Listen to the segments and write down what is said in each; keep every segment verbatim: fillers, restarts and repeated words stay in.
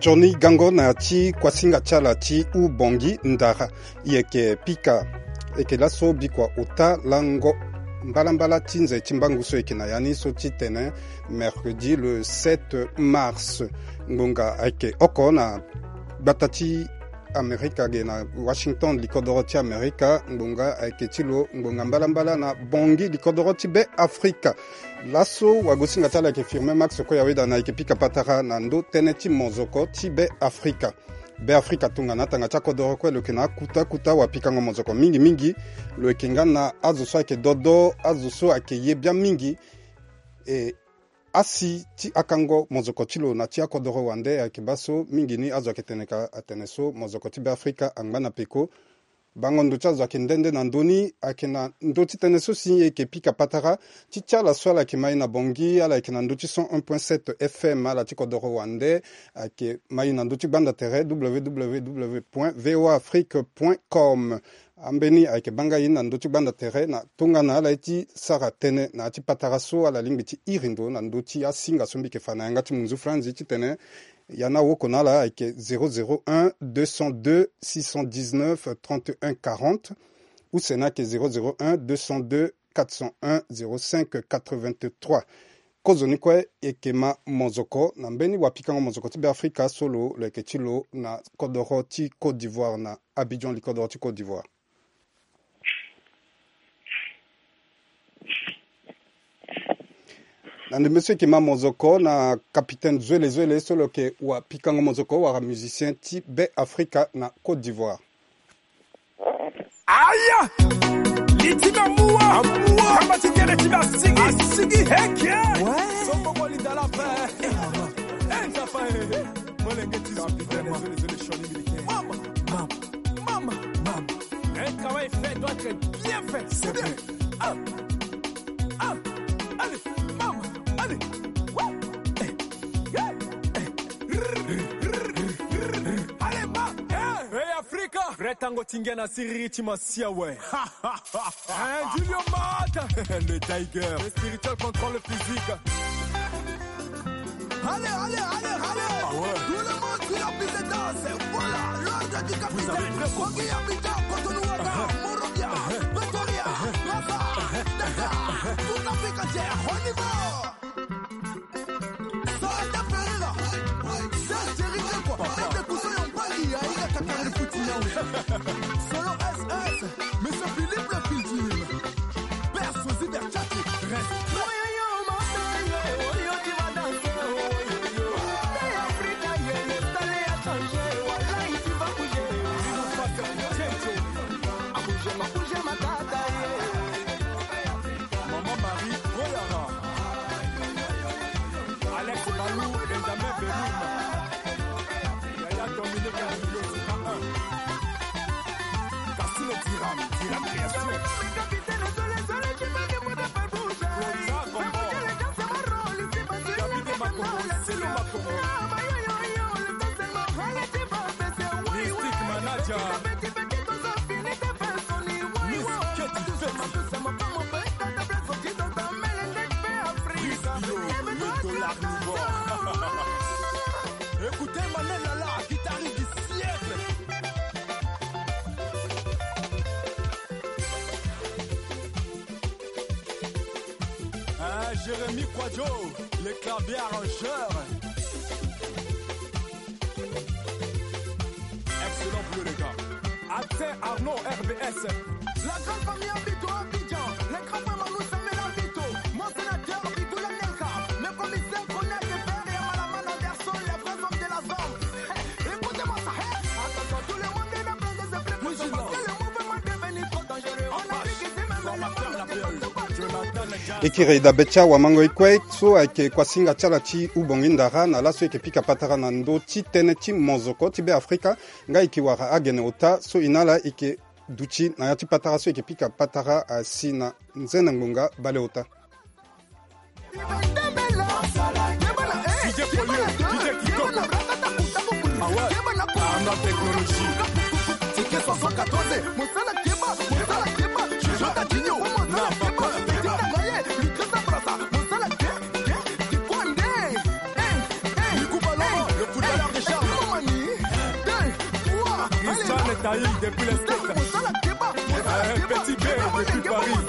Sioni gango na ya ti kuasinga ti ala ti Ubongi Ndara. E yeke pika, e yeke laso bikua ota lango mbalambala ti nze ti mbangu so e yeke na ya ni so titene mercredi le sept mars. Ngbonga ayeke oko na gbata ti Amerika ge na Washington, likodoro ti Amerika. Ngbonga ayeke ti lo ngbonga mbalambala na Bongi, likodoro ti Be Afrika. Laso wagosinga ti ala ayeke Firmin Max Koyaweda na e yeke pika patara na ndo tënë ti mozoko ti Be Afrika. Be Afrika tongana atanga ti akodoro kue lo yeke na akuta kuta wapikango mozoko mingi mingi. Lo yeke nga na azo so ayeke dodo, azo so ayeke ye biani mingi. E asi ti akango mozoko ti lo na ti akodoro wande ayeke baa so mingi ni azo ayeke tene ka atene so mozoko ti Be Afrika angba na peko. Bango ndo ti azo ayeke nde nde na ndö ni. Ayeke na ndö ti tënë so si e yeke pika patara ti ti ala so ala yeke ma e na Bongi, ala yeke na ndö ti cent un point sept F M, ala ti kodoro wande ayeke ma e na ndö ti gbanda tere W W W point V O A Afrique point com. Ambeni ayeke banga e na ndö ti gbanda tere na tongana ala ye ti sara tënë na ya ti patara so ala lingbi ti iri ndo na ndö ti asinga so mbi yeke fa na yanga ti munzu franzi titene ya na woko na ala ayeke zéro zéro un deux cent deux six cent dix-neuf trente et un quarante, use ni ayeke zéro zéro un deux cent deux quatre cent un zéro cinq quatre-vingt-trois. Kozoni kue e yeke ma mozoko na mbeni wapikango mozoko ti Be Afrika so lo lo yeke ti lo na kodoro ti Côte d'Ivoire, na Abidjan, likodoro ti Côte d'Ivoire. Na ndembe so e yeke ma mozoko na capitaine Zwele Zwele so lo yeke wapikango mozoko wala musicien ti Be Afrika na Côte d'Ivoire. Aya! Li ti mbi amua. Amua. Kamba ti kele ti mbi asigi. Asigi. Heke. Ouais. Songo mo linda la pe. Eh, mama. Eh, nzapa, eh, eh. Molenge ti zo. Capitaine Zwele Zwele, sioni mbi leke. Mama. Mama. Mama. Mama. Un travail fait doit être bien fait. C'est bien. Ah. Ah. Allez. Mama. Allez. Wouh. Eh. Eh. Eh. Allez, ma. Eh. Hey, Africa. Vrai tango ti ngia na siriri ti masiya we. Hein, Julio Mata, le Tiger. Le spirituel contrôle le physique. Allez, allez, allez, allez. Ah ouais. Tout le monde sur la piste de danse. Voilà, l'ordre du capitaine. Vous avez très compris. Kogi, Abidjan, Cotonou, Ouaga, Monrovia, Pretoria, Gaza, Dakar. Tout Afrique entière. On y va. Solo S S, Monsieur Philippe le Pilgrim, Père Sosi Berchati, respect. Maman Marie Royara, Alex Balou, Benjamin Belou, Yaya Dominique Angelou, un. Cassino Diram, Diram Création. Flota Combo, Davide Makombo, Silo Makombo. Mystique Manager. Miss Keti Feti. Miss Bio, le dollar nouveau. Écoutez Manuel Lala, guitariste du siècle. Hein, Jérémy Kwadjo, le clavier arrangeur. Excellent pour le gars. Atse Arnaud, R B S. La grande famille Abito Abidjan. Les grands frères Manou Samuel Abito. Mon sénateur Abito Lanelka. Le commissaire Konya Kefere et Malaman Anderson, les vrais hommes de la zone. Écoutez-moi ça, hein. Attention, tout le monde est dans le vigilant. Le mouvement devenu trop dangereux. On a dit que c'est même le monde. Jonathan Nja. E kiri dabe ti awamango e kue so ayeke kuasinga ti ala ti Ubongi Ndara na laso e yeke pika patara na ndö ti tënë ti mozoko ti Be Afrika. Nga e yeke wara agene ota so e na ala e yeke duti na ya ti patara so e yeke pika patara asi na nzene ngbonga baleota. D J Polio, D J Kitoko. Ah ouais. Arnaud Technologie. Ticket soixante-quatorze. Ronaldinho. Non, papa. Nico Baloma, le footballeur de charme. Taï depuis l'Est. Un petit B depuis Paris.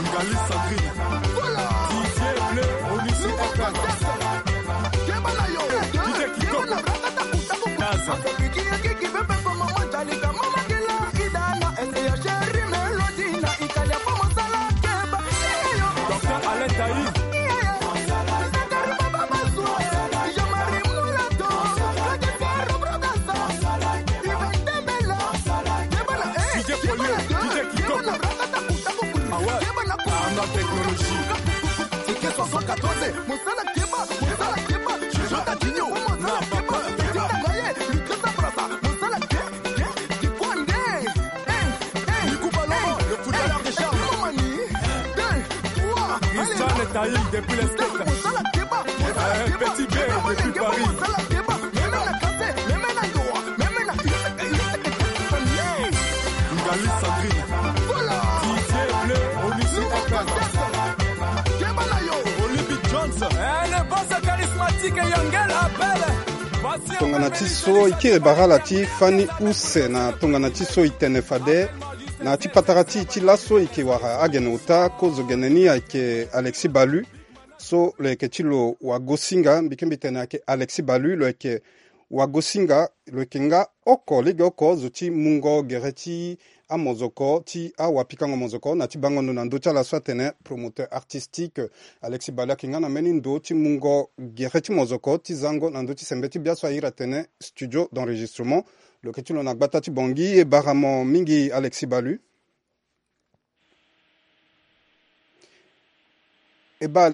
Ngali Sandrine. Didier Bleu, Onisi F M. Didier Kitoko. Kaza. Docteur Alain Taï. Didier Poyo, Didier Kitoko. Ah ouais. Arnaque technologie. Ticket soixante-quatorze. Christian Taï depuis l'Est. Un petit B depuis Paris. Ngali Sandrine. Didier Bleu, Onisi F M. Olympic Jones. Eh, le boss charismatique Yangel Abel. Tongana ti so e kiri bara ala ti fani use na tongana ti so e tene fade na ti patara ti e ti laso e yeke wara agene ota kozo gene ni ayeke Alexis Balu. So lo yeke ti lo wagosinga mbi ke mbi tene ayeke Alexis Balu lo yeke wagosinga lo yeke nga oko legeoko zo ti mungo gere ti amozoko ti awapikango mozoko na ti bango ndo na ndö ti ala so atene promoteur artistique. Alexis Balu ayeke nga na mbeni ndo ti mungo gere ti mozoko ti zango na ndö ti sembe ti bia so a iri atene studio d'enregistrement. Lo yeke ti lo na gbata ti Bangui. E bara mo mingi Alexis Balu. E baa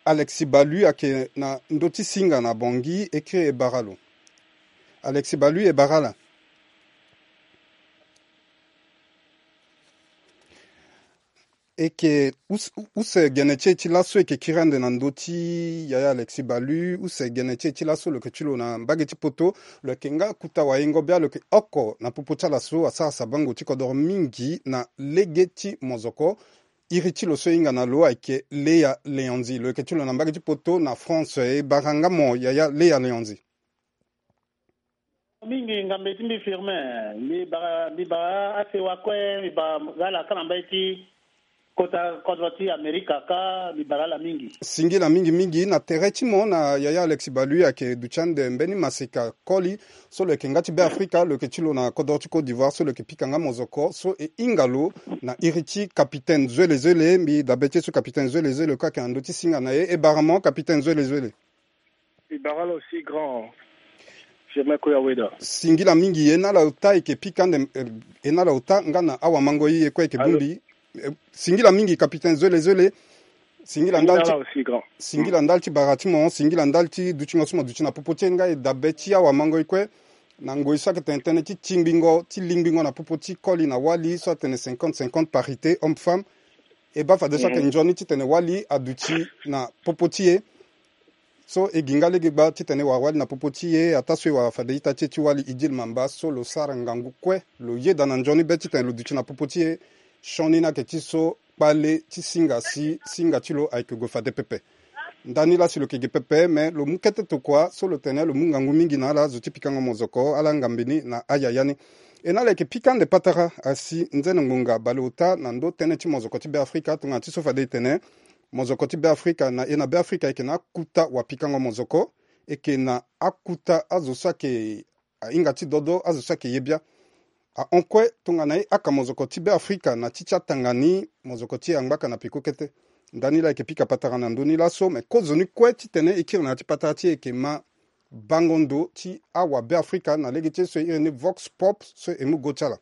Alexis Balu ayeke na ndö ti singa na Bangui, e kiri e bara lo. Alexis Balu, e bara ala. E yeke use, use gene ti e ti laso e yeke kiri ande na ndö ti yaya Alexis Balu, use gene ti e ti laso lo yeke ti lo na mbage ti poto. Lo yeke nga kuta wayengo bia lo yeke oko na popo ti ala so asara sabango ti kodoro mingi na lege ti mozoko. Iri ti lo so e hinga na lo ayeke Léa Léandzi. Lo yeke ti lo na mbage ti poto na France. E bara nga mo yaya Léa Léandzi. Mingi ngambe ti mbi Firmin, mbi bara, mbi bara asewa kue, mbi bara nga ala ka na mbage ti kota kodro ti Amerika ka, mbi bara ala mingi. Singila mingi mingi na tere ti mo na yaya Alexis Balu ayeke duti ande mbeni maseka koli so lo yeke nga ti Beafrika, lo yeke ti lo na kodro ti Côte d'Ivoire so lo yeke pika nga mozoko so e hinga lo na iri ti capitaine Zwele Zwele. Mbi dabe ti e so capitaine Zwele Zwele kue ayeke na ndö ti singa na e. E bara mo capitaine Zwele Zwele. E bara ala aussi grand Firmin Koya Weda. Singila mingi, e na ala ota e yeke pika ande, eh, e na ala ota nga na awamangoi e kue e yeke bongbi. Eh, singila mingi capitaine Zwele Zwele. Singila ndali ti, singila ndali ti bara ti mo, singila ndali ti dutingo so mo duti na popo ti e nga e dabe ti awamangoi kue na ngoi so ayeke tene tënë ti tingbingo, ti lingbingo na popo ti koli na wali so atene cinquante cinquante parité homme femme. E baa fadeso ayeke nzoni titene wali aduti na popo ti e. So e gi nga lege gba titene e wara wali na popo ti e, ataa so e wara fade ita ti e ti wali Idil Mamba so lo sara ngangu kue, lo yeda na nzoni be titene lo duti na popo ti e. Sioni ni ayeke ti so kpale ti singa si singa ti lo ayeke gue fade pepe. Ndani laa si lo yeke gi pepe, me lo mu kete tokua so lo tene lo mu ngangu mingi na ala zo ti pikango mozoko, ala ngambe ni na ayaya ni. E na ala yeke pika ande patara asi nzene ngbonga baleota na ndö tënë ti mozoko ti Beafrika, tongana ti so fade e tene mozoko ti Beafrika na e na Beafrika e yeke na akuta wapikango mozoko, e yeke na akuta azo so ayeke ahinga ti dodo, azo so ayeke ye bia. Ahon kue tongana e aka mozoko ti Beafrika na ti ti atanga ni, mozoko ti e angbaka na peko kete. Ndani laa e yeke pika patara na ndö ni laso, me kozoni kue titene e kiri na ya ti patara ti e yeke ma bango ndo ti awa Beafrika na lege ti e so e iri ni Vox Pop so e mu go ti ala.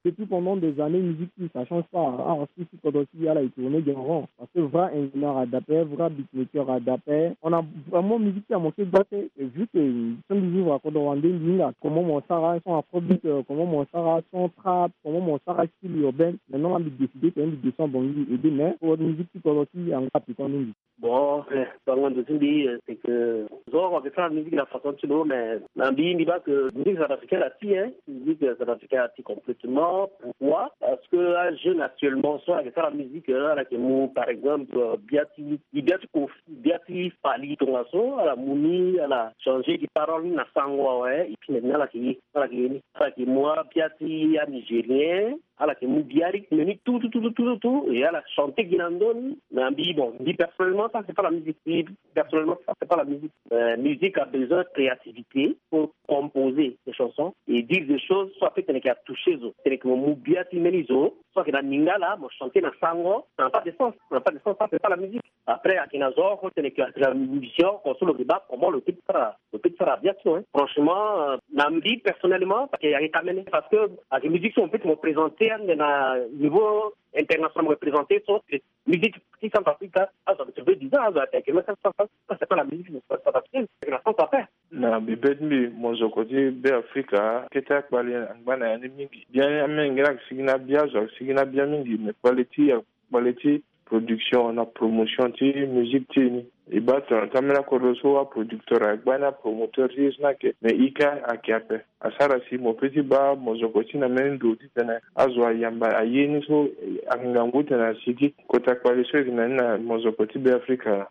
Depuis pendant des années, musique, ça change pas. Ah, on suit ce qu'on doit suivre à la tournée, on rentre. Parce que vrai ingénieur a d'appel, vrai beatmaker a d'appel. On a vraiment musique qui a manqué de battre. Et vu que, euh, sont des livres à Kodowandé, Linga, comment mon Sarah, son afrobeat, euh, comment mon Sarah, son trap, comment mon Sarah style urbain. Maintenant, on a décidé que on descend bon, et demain, pour une musique qui Kodowandé, en rap, et qu'on nous dit. Bon, eh, bango ndo ti mbi, eh, c'est que zo Ayeke sara musique na façon ti lo, mais na mbi mbi baa ke musique centrafricaine ati, hein. Musique centrafricaine ati complètement. Pourquoi? Parce que ajeune actuellement so ayeke sara musique, ala yeke mu par exemple bia ti bia ti kofi, bia ti fali tongaso, ala mu ni, ala changer gi parole ni na sango awe. Et puis maintenant ala yeke ye, ala yeke ye ni, ala yeke mu abia ti anigérien, ala yeke mu bia rythme ni tout tout tout tout tout tout, et ala chanter gi na ndö ni. Na mbi, bon, mbi personnellement, ça c'est pas la musique. Mbi personnellement, ça c'est pas la musique. Euh, musique a besoin de créativité pour composer des chansons et dire des choses so ape tene ke atoucher zo, tene ke mo mu bia ti mbeni zo, so ayeke na lingala mo chanter na sango, ça n'a pas de sens. Ça n'a pas de sens, ça c'est pas la musique. Après ayeke na zo oko tene ke ayeke na musicien oko so lo yeke baa comment lo peut ti sara, lo peut ti sara bia ti lo, hein. Franchement, euh, na mbi personnellement, parce que ayeke ka mene, parce que ayeke musique so mo peut ti mo présenter ande na niveau international, mo présenter so musique ti Centrafrique, azo ayeke soi-disant, azo ayeke, mais ça, ça, ça, ça, c'est pas la musique centrafricaine, c'est la France à faire. Na bebe ti mbi, mozoko ti Beafrika, kete akpale angba na ya ni mingi. Bia ni amenge ni ayeke sigi na bia, azo ayeke sigi na bia mingi, mais kpale ti, kpale ti production na promotion ti musique ti e ni. E baa tongana ti ambeni akodro so aproducteur ayeke gbani, apromoteur ti e so ni ayeke, mais ika ayeke ape. Asara si mo peut ti baa mozoko ti na mbeni ndo titene azo ayamba aye ni so, eh, angangu titene asigi kota kpale so e yeke na ni na mozoko ti Beafrika.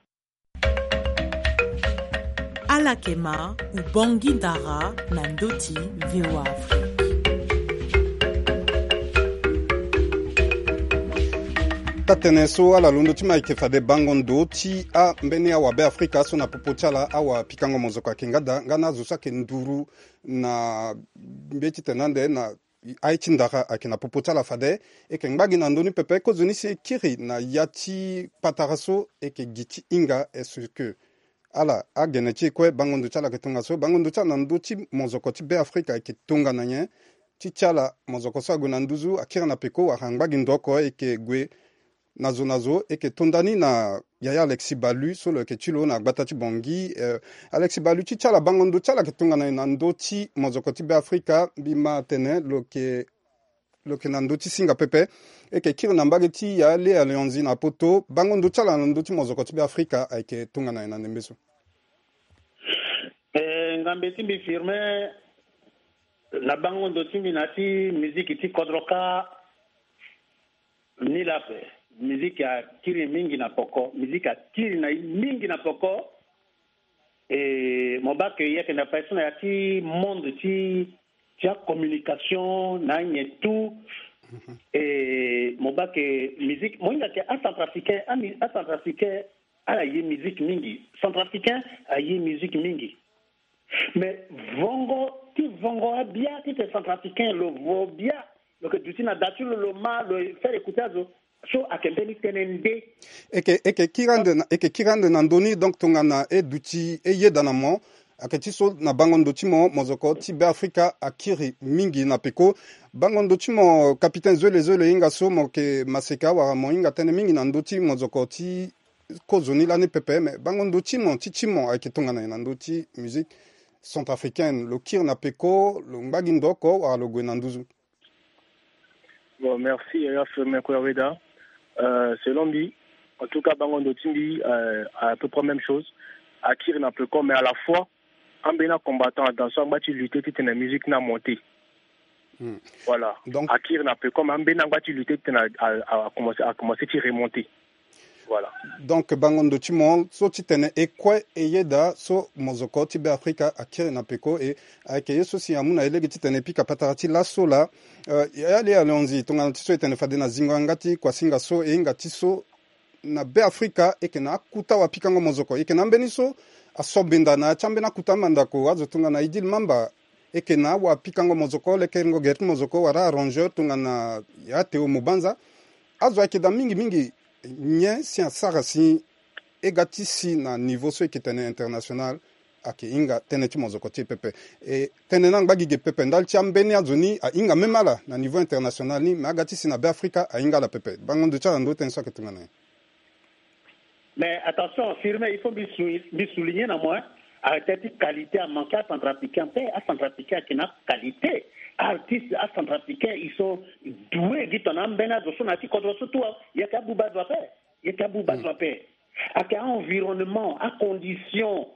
Ala yeke ma, Ubongi Ndara na ndö ti V O A Afrique. Tatene so ala londo ti ma ayeke fade bango ndo ti ambeni awabe Afrika so na popo ti ala awapikango mozoko ayeke nga daa, nga na azo so ayeke nduru na mbeti tene ande na aye ti ndara ayeke na popo ti ala fade. E yeke ngba gi na ndö ni pepe, kozoni si e kiri na ya ti patara so e yeke gi ti hinga, est-ce que ala agene ti e kue, bango ndo ti ala ayeke tongaso, bango ndo ti ala na ndö ti mozoko ti Beafrika ayeke tongana nyen? Ti ti ala, mozoko so ague na nduzu akiri na peko wala angba gi ndo oko e yeke gue na zo na zo, e yeke to ndani na yaya Alexis Balu so lo yeke ti lo na gbata ti Bangui. Eh, Alexis Balu, ti ti ala, bango ndo ti ala ayeke tongana nyen na ndö ti mozoko ti Beafrika? Mbi ma atene lo yeke, lo yeke na ndö ti singa pepe. E yeke kiri na mbage ti yaya Léa Léonzi na poto, bango ndo ti ala na ndö ti mozoko ti Beafrika ayeke tongana nyen na ndembe so? Eh, ngambe ti mbi Firmin, na bango ndo ti mbi na ya ti miziki ti kodro kâ, ni laa ape, miziki akiri mingi na peko, miziki akiri na e mingi na peko. E mo baa ke e yeke na fade so na ya ti monde ti, ti acommunication na anyen tout. E mo baa ke miziki, mo hinga ke acentrafricain, ami, acentrafricain ala ye miziki mingi. Centrafricain aye miziki mingi. Mais vongo ti vongo abia titene centrafricain lo vo bia, lo yeke duti na da ti lo, lo ma, lo faire écouter azo, so ayeke mbeni tënë nde. E yeke, e yeke kiri ande na, e yeke kiri ande na ndö ni, donc tongana e duti e yeda na mo, ayeke ti so na bango ndo ti mo, mozoko ti Beafrika akiri mingi na peko. Bango ndo ti mo, capitaine Zole Zole, e hinga so mo yeke maseka wala mo hinga tënë mingi na ndö ti mozoko ti kozoni lani pepe, me bango ndo ti mo, ti ti mo ayeke tongana nyen na ndö ti musique centrafricaine? Lo kiri na peko, lo ngba gi ndo oko wala lo gue na nduzu? Bon, merci yaya Firmin Kouya Weda. Euh, selon mbi, en tout cas, bango ndo ti mbi, euh, à peu près même chose. Akiri na peko, mais à la fois ambeni acombattant adan so angba ti lutter titene musique ni amonter. Hmm. Voilà. Donc akiri na peko, mais ambeni angba ti lutter titene a, a, a commencer, a commencer ti remonter. Voilà. Donc bango ndo ti mo, so titene e kue e yeda so mozoko ti Beafrika akiri na peko, e ayeke ye so si amu na e lege titene e pika patara ti laso laa. Euh, yaya Léa Léonzi, tongana ti so e tene fade na zingo yanga ti kuasinga so, e hinga ti so na Beafrika e yeke na akuta wapikango mozoko, e yeke na ambeni so aso benda na ya ti ambeni akuta mandako, azo tongana Idil Mamba, e yeke na awapikango mozoko, lekerengo gere ti mozoko, wala arrangeur tongana ya Théo Mobanza. Azo ayeke daa mingi mingi. Nyen si asara si e ga ti si na niveau so e yeke tene international, ayeke hinga tënë ti mozoko ti e pepe? E tënë ni angba gi ge pepe ndali ti ambeni azo ni ahinga même ala na niveau international ni, me aga ti si na Beafrika ahinga ala pepe. Bango ndo ti ala na ndö ti tënë so ayeke tongana nyen? Mais attention, Firmin, il faut mbi sou-, mbi souligner na mo, hein. Arrêtez ti qualité, amanqué acentrafricain, pe acentrafricain ayeke na qualité. Artiste acentrafricain, ils sont doués, gi tongana ambeni azo so na ya ti kodro so tout, hein. Yeke abuba azo ape. Yeke abuba azo ape. Ayeke environnement, acondition,